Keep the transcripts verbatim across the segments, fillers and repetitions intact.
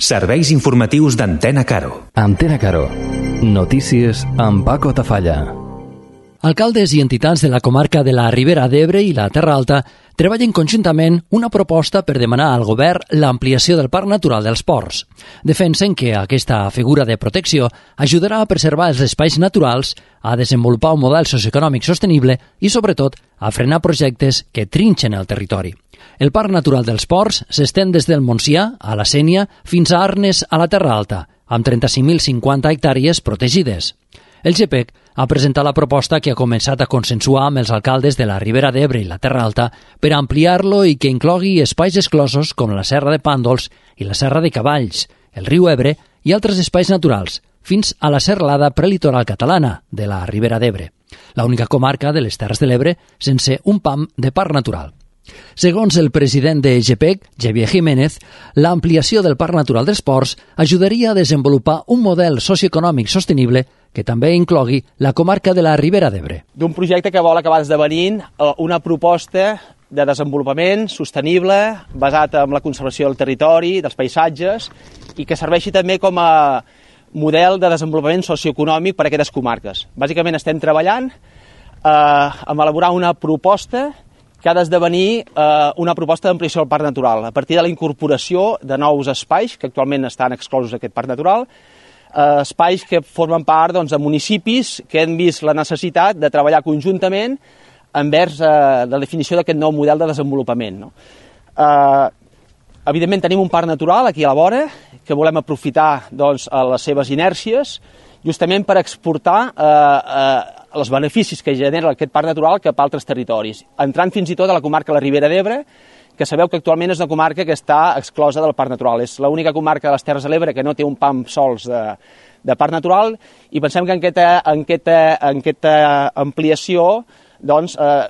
Serveis informatius d'Antena Caro. Antena Caro. Notícies amb Paco Tafalla. Alcaldes i entitats de la comarca de la Ribera d'Ebre i la Terra Alta treballen conjuntament una proposta per demanar al govern l'ampliació del Parc Natural dels Ports. Defensen que aquesta figura de protecció ajudarà a preservar els espais naturals, a desenvolupar un model socioeconòmic sostenible i, sobretot, a frenar projectes que trinxen el territori. El Parc Natural dels Ports s'estén des del Montsià, a la Sénia, fins a Arnes, a la Terra Alta, amb trenta-cinc mil cinquanta hectàrees protegides. El G P E C ha presentat la proposta que ha començat a consensuar amb els alcaldes de la Ribera d'Ebre i la Terra Alta per ampliar-lo i que inclogui espais exclosos com la Serra de Pàndols i la Serra de Cavalls, el riu Ebre i altres espais naturals, fins a la serralada prelitoral catalana de la Ribera d'Ebre, l'única comarca de les Terres de l'Ebre sense un pam de parc natural. Segons el president de G P E C, Xavier Jiménez, l'ampliació del Parc Natural dels Ports ajudaria a desenvolupar un model socioeconòmic sostenible que també inclogui la comarca de la Ribera d'Ebre. D'un projecte que vol acabar esdevenint una proposta de desenvolupament sostenible basat en la conservació del territori, dels paisatges i que serveixi també com a model de desenvolupament socioeconòmic per a aquestes comarques. Bàsicament estem treballant eh, en elaborar una proposta que ha d'esdevenir eh, una proposta d'ampliació del parc natural, a partir de la incorporació de nous espais que actualment estan exclosos d'aquest parc natural, eh, espais que formen part doncs, de municipis que han vist la necessitat de treballar conjuntament envers eh, la definició d'aquest nou model de desenvolupament. No? Eh, evidentment tenim un parc natural aquí a la vora que volem aprofitar doncs, a les seves inèrcies justament per exportar eh, eh, els beneficis que genera aquest parc natural cap a altres territoris, entrant fins i tot a la comarca de la Ribera d'Ebre, que sabeu que actualment és una comarca que està exclosa del parc natural. És l'única comarca de les Terres de l'Ebre que no té un pam sols de, de parc natural i pensem que en aquesta, en aquesta, en aquesta ampliació doncs, eh,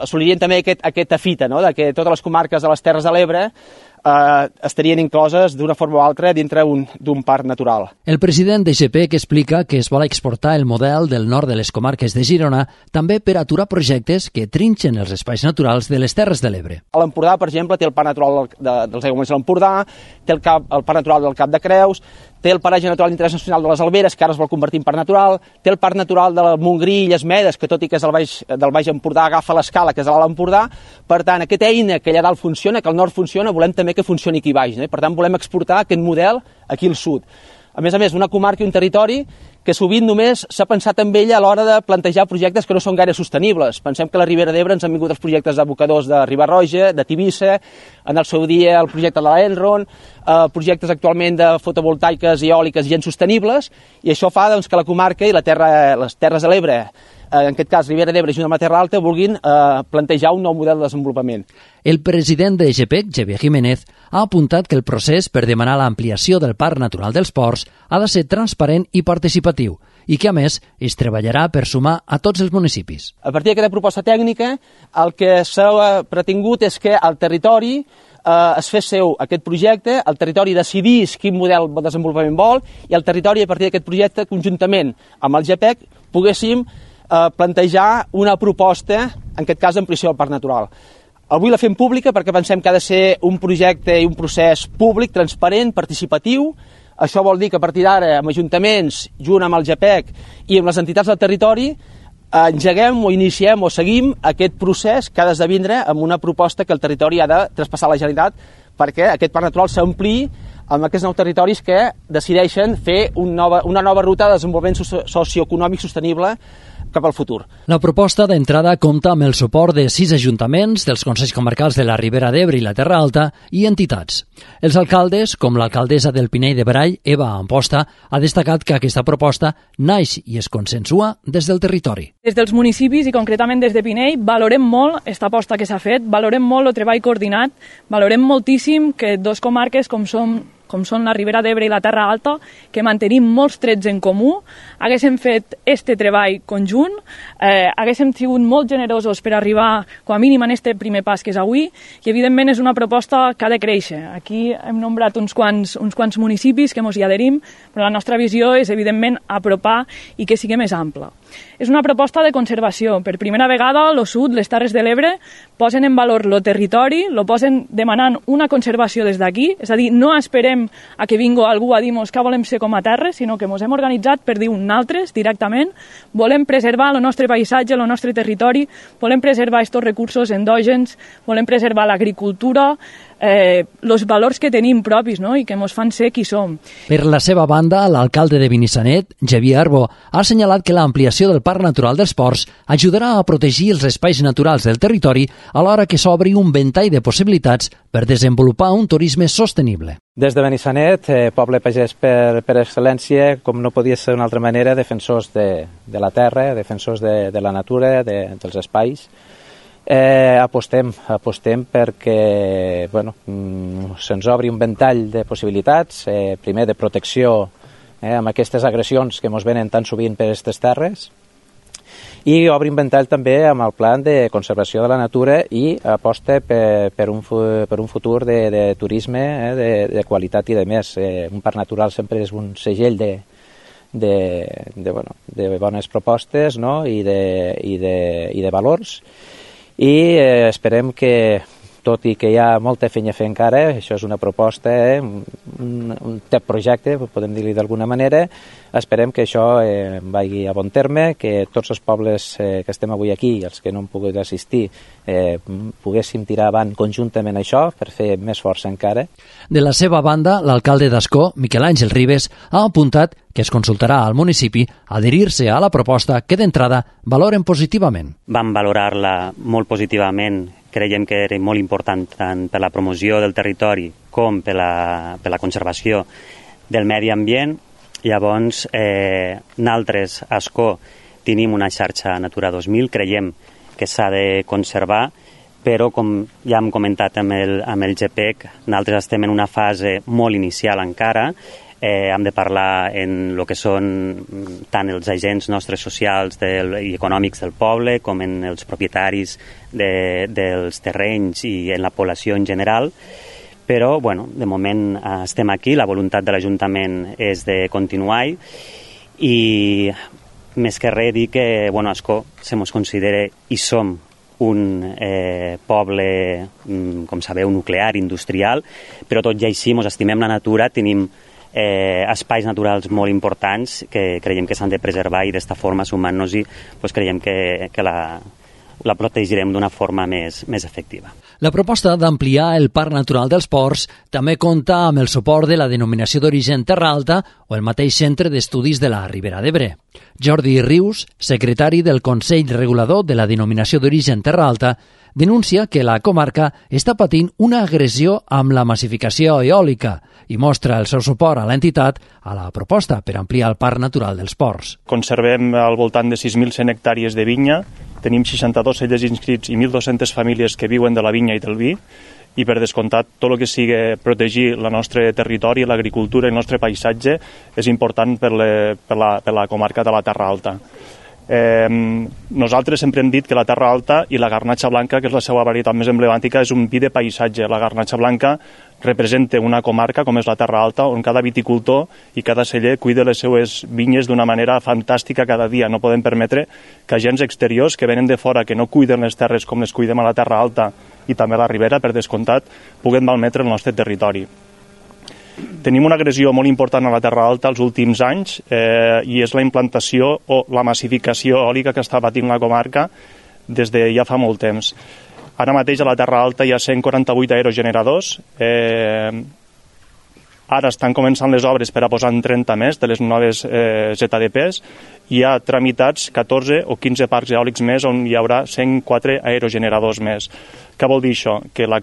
assolirien també aquest, aquesta fita, no? De que totes les comarques de les Terres de l'Ebre eh, estarien incloses d'una forma o altra dintre d'un parc natural. El president de G P E C explica que es vol exportar el model del nord de les comarques de Girona també per aturar projectes que trinxen els espais naturals de les Terres de l'Ebre. A l'Empordà, per exemple, té el parc natural de, dels aiguamolls de l'Empordà, té el, cap, el parc natural del Cap de Creus, té el paratge natural d'interès nacional de les Alberes, que ara es vol convertir en parc natural, té el parc natural del Montgrí i les Medes, que tot i que és del Baix, del Baix Empordà, agafa l'escala, que és a l'Alt Empordà. Per tant, aquesta eina que allà dalt funciona, que al nord funciona, volem també que funcioni aquí baix. No? Per tant, volem exportar aquest model aquí al sud. A més a més, una comarca i un territori que sovint només s'ha pensat en ella a l'hora de plantejar projectes que no són gaire sostenibles. Pensem que a la Ribera d'Ebre ens han vingut els projectes d'abocadors de Riba-roja, de Tivissa, en el seu dia el projecte de l'Enron, eh, projectes actualment de fotovoltaiques i eòliques gens sostenibles, i això fa doncs, que la comarca i la terra, les Terres de l'Ebre, en aquest cas Ribera d'Ebre junt amb la Terra Alta, vulguin eh, plantejar un nou model de desenvolupament. El president de G P E C, Xavier Jiménez, ha apuntat que el procés per demanar l'ampliació del Parc Natural dels Ports ha de ser transparent i participatiu i que, a més, es treballarà per sumar a tots els municipis. A partir d'aquesta proposta tècnica, el que s'ha pretingut és que el territori eh, es fes seu aquest projecte, el territori decidís quin model de desenvolupament vol i el territori, a partir d'aquest projecte, conjuntament amb el G P E C, poguéssim eh, plantejar una proposta, en aquest cas d'ampliació del parc natural. Avui la fem pública perquè pensem que ha de ser un projecte i un procés públic, transparent, participatiu. Això vol dir que a partir d'ara, amb ajuntaments, junt amb el G P E C i amb les entitats del territori, engeguem o iniciem o seguim aquest procés que ha d'esdevindre amb una proposta que el territori ha de traspassar a la Generalitat perquè aquest parc natural s'ampliï amb aquests nous territoris que decideixen fer una nova, una nova ruta de desenvolupament socioeconòmic sostenible cap al futur. La proposta d'entrada compta amb el suport de sis ajuntaments, dels Consells Comarcals de la Ribera d'Ebre i la Terra Alta i entitats. Els alcaldes, com l'alcaldessa del Pinell de Brai, Eva Amposta, ha destacat que aquesta proposta naix i es consensua des del territori. Des dels municipis i concretament des de Pinell valorem molt aquesta aposta que s'ha fet, valorem molt el treball coordinat, valorem moltíssim que dos comarques com som com són la Ribera d'Ebre i la Terra Alta, que mantenim molts trets en comú, haguéssim fet este treball conjunt, eh, haguéssim sigut molt generosos per arribar, com a mínim, en este primer pas que és avui, i evidentment és una proposta que ha de créixer. Aquí hem nombrat uns quants, uns quants municipis que ens hi adherim, però la nostra visió és, evidentment, apropar i que sigui més ampla. És una proposta de conservació. Per primera vegada, el sud, les Terres de l'Ebre, posen en valor el territori, lo posen demanant una conservació des d'aquí, és a dir, no esperem esperem a que vingui algú a dir-nos que volem ser com a terra, sinó que ens hem organitzat per dir nosaltres directament volem preservar el nostre paisatge, el nostre territori, volem preservar aquests recursos endògens, volem preservar l'agricultura, eh, els valors que tenim propis, no?, i que ens fan ser qui som. Per la seva banda, l'alcalde de Benissanet, Xavier Arbó, ha assenyalat que l'ampliació del Parc Natural dels Ports ajudarà a protegir els espais naturals del territori alhora que s'obri un ventall de possibilitats per desenvolupar un turisme sostenible. Des de Benissanet, eh, poble pagès per, per excel·lència, com no podia ser d'una altra manera, defensors de, de la terra, defensors de, de la natura, de, dels espais. Eh, apostem, apostem perquè bueno, mm, se'ns obri un ventall de possibilitats, eh, primer de protecció eh, amb aquestes agressions que ens venen tan sovint per aquestes terres, i obri un ventall també amb el plan de conservació de la natura i aposta per, per, un, per un futur de, de turisme eh, de, de qualitat i de més. Eh, un parc natural sempre és un segell de, de, de, bueno, de bones propostes, no?, i, de, i, de, i de valors, i eh, esperem que, tot i que hi ha molta feina a fer encara, això és una proposta, eh, un, un tep projecte, podem dir-li d'alguna manera, esperem que això eh, vagi a bon terme, que tots els pobles eh, que estem avui aquí, els que no han pogut assistir, eh, poguéssim tirar avant conjuntament això per fer més força encara. De la seva banda, l'alcalde d'Ascó, Miquel Àngel Ribes, ha apuntat que es consultarà al municipi adherir-se a la proposta que d'entrada valoren positivament. Vam valorar-la molt positivament. Creiem que era molt important tant per la promoció del territori com per la, per la conservació del medi ambient. Llavors, eh, nosaltres, a Ascó, tenim una xarxa Natura dos mil, creiem que s'ha de conservar, però com ja hem comentat amb el, amb el G P E C, nosaltres estem en una fase molt inicial encara. Eh, hem de parlar en el que són tant els agents nostres socials del, i econòmics del poble com en els propietaris de, dels terrenys i en la població en general, però bueno, de moment eh, estem aquí, la voluntat de l'Ajuntament és de continuar i més que res dir que bueno, Ascó se mos considera i som un eh, poble, com sabeu, nuclear, industrial, però tot i així mos estimem la natura, tenim Eh, espais naturals molt importants que creiem que s'han de preservar i d'esta forma, sumant-nos-hi, pues, creiem que, que la, la protegirem d'una forma més, més efectiva. La proposta d'ampliar el Parc Natural dels Ports també compta amb el suport de la denominació d'origen Terra Alta o el mateix Centre d'Estudis de la Ribera d'Ebre. Jordi Rius, secretari del Consell Regulador de la denominació d'origen Terra Alta, denuncia que la comarca està patint una agressió amb la massificació eòlica i mostra el seu suport a l'entitat a la proposta per ampliar el Parc Natural dels Ports. Conservem al voltant de sis mil cent hectàrees de vinya, tenim seixanta-dos cellers inscrits i mil dues-centes famílies que viuen de la vinya i del vi, i per descomptat tot el que sigui protegir el nostre territori, l'agricultura i el nostre paisatge és important per, le, per, la, per la comarca de la Terra Alta. Eh, nosaltres sempre hem dit que la Terra Alta i la garnatxa blanca, que és la seva varietat més emblemàtica, és un vi de paisatge. La garnatxa blanca representa una comarca com és la Terra Alta, on cada viticultor i cada celler cuida les seues vinyes d'una manera fantàstica cada dia. No podem permetre que agents exteriors que venen de fora, que no cuiden les terres com les cuidem a la Terra Alta i també a la Ribera, per descomptat, puguen malmetre el nostre territori. Tenim una agressió molt important a la Terra Alta els últims anys eh, i és la implantació o la massificació eòlica que està patint la comarca des de ja fa molt temps. Ara mateix a la Terra Alta hi ha cent quaranta-vuit aerogeneradors, eh, ara estan començant les obres per a posar en trenta més de les noves eh, Z D Ps, i hi ha tramitats catorze o quinze parcs eòlics més on hi haurà cent quatre aerogeneradors més. Què vol dir això? Que la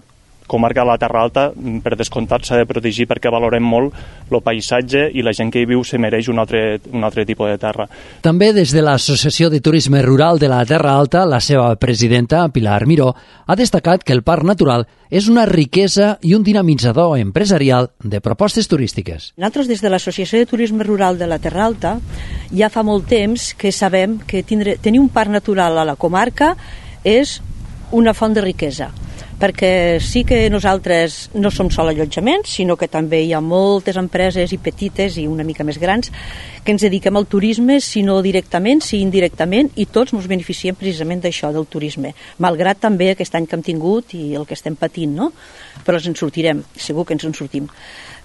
comarca de la Terra Alta, per descomptat, s'ha de protegir perquè valorem molt el paisatge i la gent que hi viu se mereix un altre, un altre tipus de terra. També des de l'Associació de Turisme Rural de la Terra Alta, la seva presidenta, Pilar Miró, ha destacat que el Parc Natural és una riquesa i un dinamitzador empresarial de propostes turístiques. Nosaltres, des de l'Associació de Turisme Rural de la Terra Alta, ja fa molt temps que sabem que tindre, tenir un parc natural a la comarca és una font de riquesa. perquè sí que nosaltres no som sol allotjaments, sinó que també hi ha moltes empreses i petites i una mica més grans que ens dediquem al turisme, si no directament, si indirectament, i tots ens beneficiem precisament d'això, del turisme, malgrat també aquest any que hem tingut i el que estem patint, no? Però ens en sortirem, segur que ens en sortim.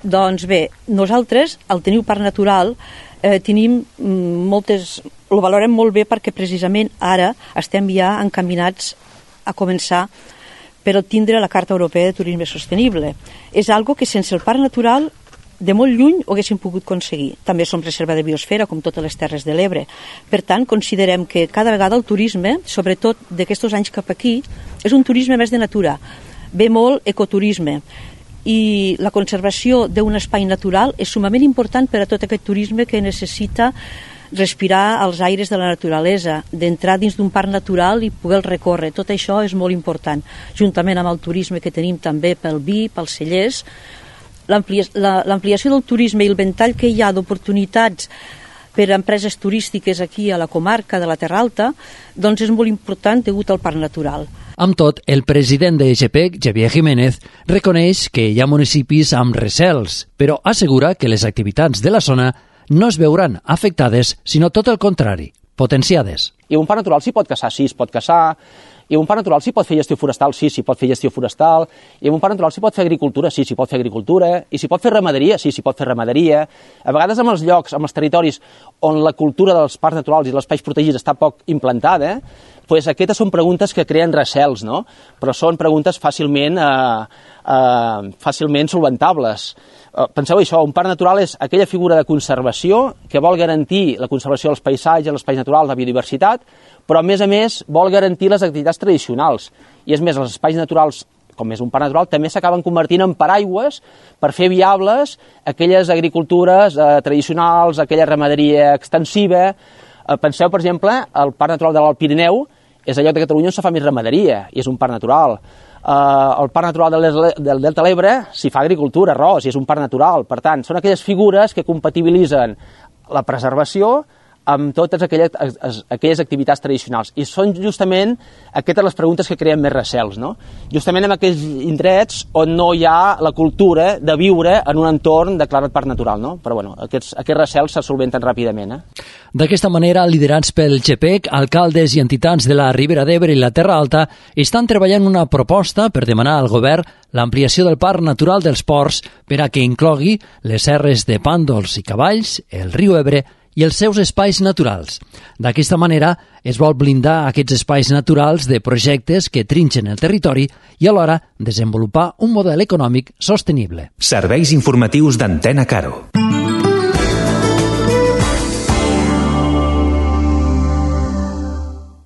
Doncs bé, nosaltres, al tenir parc natural, eh, tenim moltes... Ho valorem molt bé perquè precisament ara estem ja encaminats a començar per tindre la Carta Europea de Turisme Sostenible. És algo que sense el parc natural de molt lluny ho haguéssim pogut aconseguir. També som reserva de biosfera, com totes les Terres de l'Ebre. Per tant, considerem que cada vegada el turisme, sobretot d'aquests anys cap aquí, és un turisme més de natura. Ve molt ecoturisme. I la conservació d'un espai natural és sumament important per a tot aquest turisme que necessita respirar els aires de la naturalesa, d'entrar dins d'un parc natural i poder recórrer. Tot això és molt important, juntament amb el turisme que tenim també pel vi, pels cellers. L'ampliació del turisme i el ventall que hi ha d'oportunitats per a empreses turístiques aquí a la comarca de la Terra Alta, doncs és molt important degut al parc natural. Amb tot, el president de GEPEC, Xavier Jiménez, reconeix que hi ha municipis amb recels, però assegura que les activitats de la zona no es veuran afectades, sinó tot el contrari, potenciades. I un parc natural s'hi pot caçar, sí, es pot caçar. I un parc natural s'hi pot fer gestió forestal, sí, s'hi pot fer gestió forestal. I un parc natural s'hi pot fer agricultura, sí, s'hi pot fer agricultura. I s'hi pot fer ramaderia, sí, s'hi pot fer ramaderia. A vegades amb els llocs, amb els territoris on la cultura dels parcs naturals i dels espais protegits està poc implantada, pues aquestes són preguntes que creen recels, no? Però són preguntes fàcilment, eh, eh, fàcilment solventables. Eh, penseu això, un parc natural és aquella figura de conservació que vol garantir la conservació dels paisatges, els espais naturals, la biodiversitat, però a més a més vol garantir les activitats tradicionals. I és més, els espais naturals, com és un parc natural, també s'acaben convertint en paraigües per fer viables aquelles agricultures eh, tradicionals, aquella ramaderia extensiva. Eh, penseu, per exemple, el Parc Natural de l'Alt Pirineu és el lloc de Catalunya on se fa més ramaderia, i és un parc natural. Uh, el Parc Natural del Delta de l'Ebre s'hi fa agricultura, arròs, i és un parc natural. Per tant, són aquelles figures que compatibilitzen la preservació amb totes aquelles, aquelles activitats tradicionals. I són justament aquestes les preguntes que creen més recels, no? Justament en aquells indrets on no hi ha la cultura de viure en un entorn declarat parc natural, no? Però bueno, aquests, aquests recels se solventen ràpidament. Eh? D'aquesta manera, liderats pel GEPEC, alcaldes i entitats de la Ribera d'Ebre i la Terra Alta estan treballant una proposta per demanar al govern l'ampliació del Parc Natural dels Ports per a que inclogui les serres de Pàndols i Cavalls, el riu Ebre i els seus espais naturals. D'aquesta manera, es vol blindar aquests espais naturals de projectes que trinxen el territori i alhora desenvolupar un model econòmic sostenible. Serveis informatius d'Antena Caro.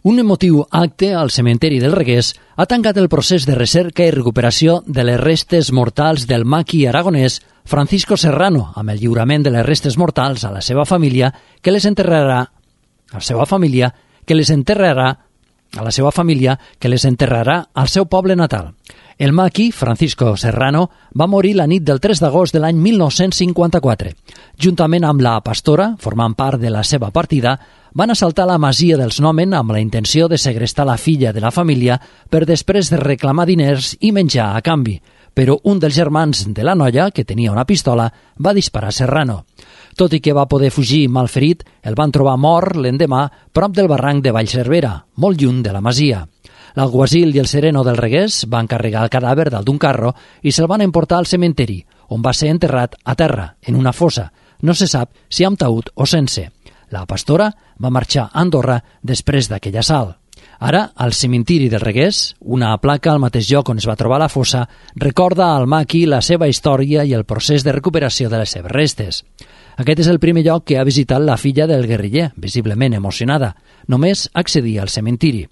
Un emotiu acte al cementeri del Reguers ha tancat el procés de recerca i recuperació de les restes mortals del maqui aragonès Francisco Serrano, amb el lliurament de les restes mortals a la seva família, que les enterrarà a la seva família, que les enterrarà a la seva família, que les enterrarà al seu poble natal. El maqui, Francisco Serrano, va morir la nit del tres d'agost de l'any mil nou-cents cinquanta-quatre. Juntament amb la pastora, formant part de la seva partida, van assaltar la masia dels Nomen amb la intenció de segrestar la filla de la família per després de reclamar diners i menjar a canvi. Però un dels germans de la noia, que tenia una pistola, va disparar a Serrano. Tot i que va poder fugir malferit, el van trobar mort l'endemà prop del barranc de Vallcervera, molt lluny de la masia. L'alguacil i el sereno del Reguers van carregar el cadàver dalt d'un carro i se'l van emportar al cementeri, on va ser enterrat a terra, en una fossa. No se sap si amb taüt o sense. La pastora va marxar a Andorra després d'aquell assalt. Ara, al cementiri del Reguers, una placa al mateix lloc on es va trobar la fossa recorda al maqui la seva història i el procés de recuperació de les seves restes. Aquest és el primer lloc que ha visitat la filla del guerriller, visiblement emocionada. Només accedia al cementiri.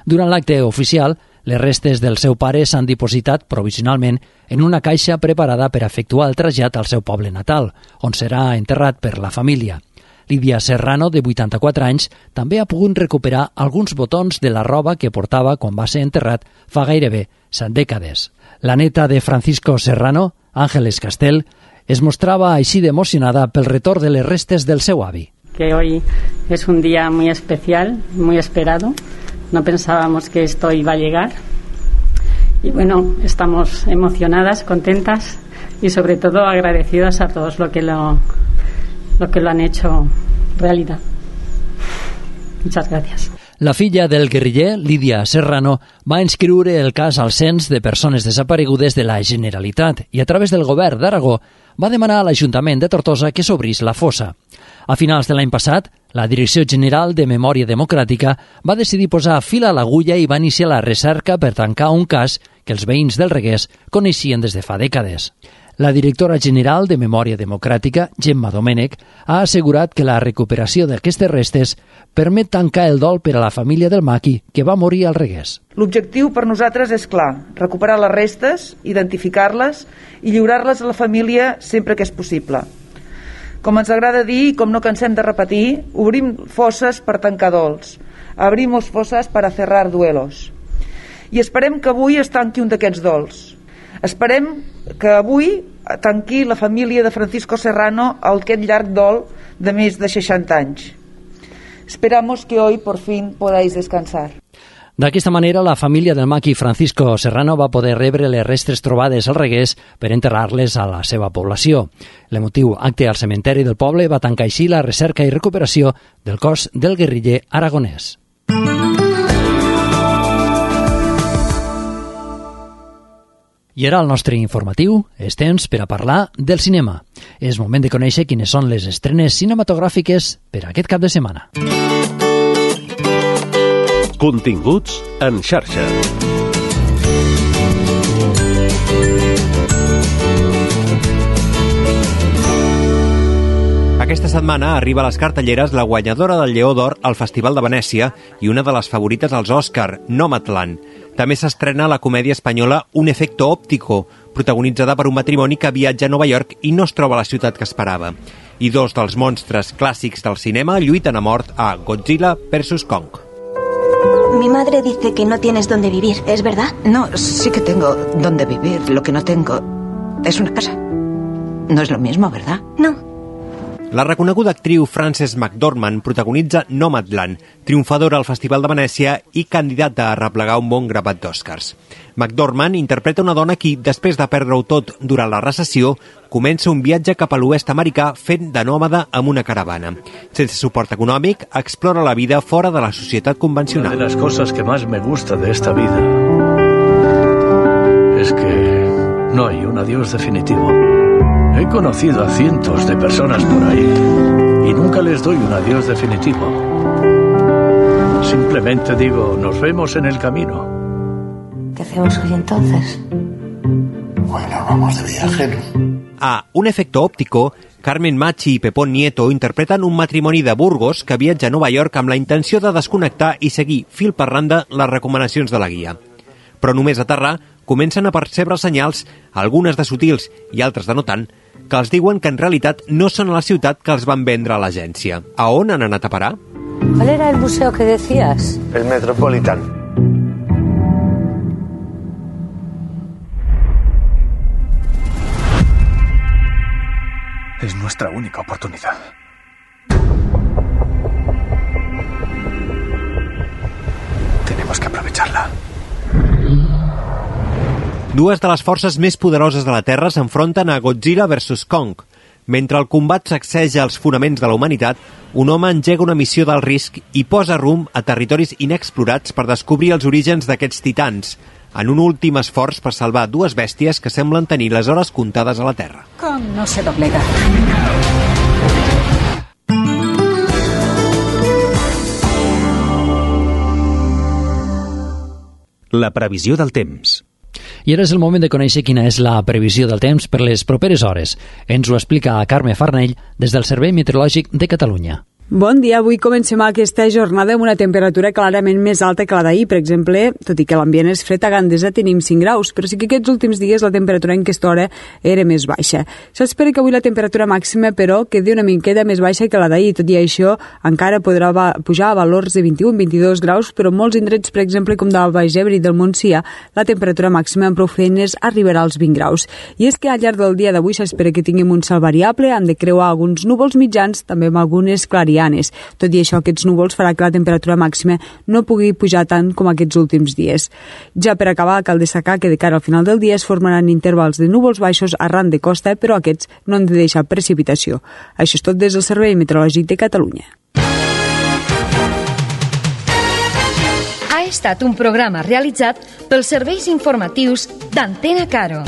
Durant l'acte oficial, les restes del seu pare s'han dipositat provisionalment en una caixa preparada per efectuar el trasllat al seu poble natal, on serà enterrat per la família. Lídia Serrano, de vuitanta-quatre anys, també ha pogut recuperar alguns botons de la roba que portava quan va ser enterrat fa gairebé set dècades. La neta de Francisco Serrano, Ángeles Castel, es mostrava així d'emocionada pel retorn de les restes del seu avi. Que hoy es un día muy especial, muy esperado. No pensábamos que esto iba a llegar Y bueno, estamos emocionadas, contentas y sobre todo agradecidas a todos lo que lo, lo que lo han hecho realidad. Muchas gracias. La filla del guerriller, Lídia Serrano, va inscriure el cas al cens de persones desaparegudes de la Generalitat i a través del govern d'Aragó va demanar a l'Ajuntament de Tortosa que s'obrís la fossa. A finals de l'any passat, la Direcció General de Memòria Democràtica va decidir posar fil a l'agulla i va iniciar la recerca per tancar un cas que els veïns del Reguers coneixien des de fa dècades. La directora general de Memòria Democràtica, Gemma Domènech, ha assegurat que la recuperació d'aquestes restes permet tancar el dol per a la família del maqui que va morir al Reguers. L'objectiu per nosaltres és clar, recuperar les restes, identificar-les i lliurar-les a la família sempre que és possible. Com ens agrada dir i com no cansem de repetir, obrim fosses per tancar dols, abrimos fosses per a cerrar duelos. I esperem que avui es tanqui un d'aquests dols. Esperem que avui tanqui la família de Francisco Serrano aquest llarg dol de més de seixanta anys. Esperamos que hoy por fin podáis descansar. D'aquesta manera, la família del maqui Francisco Serrano va poder rebre les restes trobades al Reguers per enterrar-les a la seva població. L'emotiu acte al cementeri del poble va tancar així la recerca i recuperació del cos del guerriller aragonès. I ara el nostre informatiu és temps per a parlar del cinema. És moment de conèixer quines són les estrenes cinematogràfiques per a aquest cap de setmana. Continguts en xarxa. Aquesta setmana arriba a les cartelleres la guanyadora del Lleó d'Or al Festival de Venècia i una de les favorites als Òscar, Nomadland. També s'estrena la comèdia espanyola Un efecto óptico, protagonitzada per un matrimoni que viatja a Nova York i no es troba a la ciutat que esperava. I dos dels monstres clàssics del cinema lluiten a mort a Godzilla versus Kong. Mi madre dice que no tienes dónde vivir, ¿es verdad? No, sí que tengo dónde vivir. Lo que no tengo es una casa. No es lo mismo, ¿verdad? No. La reconeguda actriu Frances McDormand protagonitza Nomadland, triomfadora al Festival de Venècia i candidata a replegar un bon grapat d'Oscars. McDormand interpreta una dona qui, després de perdre-ho tot durant la recessió, comença un viatge cap a l'oest americà fent de nòmada amb una caravana. Sense suport econòmic, explora la vida fora de la societat convencional. Una de las cosas que más me gusta de esta vida es que no hay un adiós definitivo. He conocido a cientos de personas por ahí y nunca les doy un adiós definitivo. Simplemente digo, nos vemos en el camino. ¿Qué hacemos hoy entonces? Bueno, vamos de viaje, ¿no? A Un efecto óptico, Carmen Machi i Pepón Nieto interpreten un matrimoni de Burgos que viatja a Nova York amb la intenció de desconnectar i seguir fil per randa les recomanacions de la guia. Però només a aterrar comencen a percebre senyals, algunes de sutils i altres de no tant, que els diuen que en realitat no són a la ciutat que els van vendre a l'agència. A on han anat a parar? ¿Cuál era el museo que decías? El Metropolitan. Es nuestra única oportunidad. Tenemos que aprovecharla. Dues de les forces més poderoses de la Terra s'enfronten a Godzilla versus Kong. Mentre el combat sacseja els fonaments de la humanitat, un home engega una missió d'alt risc i posa rumb a territoris inexplorats per descobrir els orígens d'aquests titans, en un últim esforç per salvar dues bèsties que semblen tenir les hores comptades a la Terra. Kong no se doblega. La previsió del temps. I ara és el moment de conèixer quina és la previsió del temps per les properes hores. Ens ho explica Carme Farnell des del Servei Meteorològic de Catalunya. Bon dia, avui comencem aquesta jornada amb una temperatura clarament més alta que la d'ahir. Per exemple, tot i que l'ambient és fred, a Gandesa tenim cinc graus, però sí que aquests últims dies la temperatura en aquesta hora era més baixa. S'espera que avui la temperatura màxima, però, quedi una miqueta més baixa que la d'ahir. Tot i això, encara podrà pujar a valors de vint-i-un a vint-i-dos graus, però en molts indrets, per exemple, com del Baix Ebre i del Montsià, la temperatura màxima amb prou feines arribarà als vint graus. I és que al llarg del dia d'avui s'espera que tinguem un cel variable, hem de creuar alguns núvols mitjans, també amb algunes clarianes clarianes. Tot i això, aquests núvols farà que la temperatura màxima no pugui pujar tant com aquests últims dies. Ja per acabar, cal destacar que de cara al final del dia es formaran intervals de núvols baixos arran de costa, però aquests no han de deixar precipitació. Això és tot des del Servei Meteorològic de Catalunya. Ha estat un programa realitzat pels serveis informatius d'Antena Caro.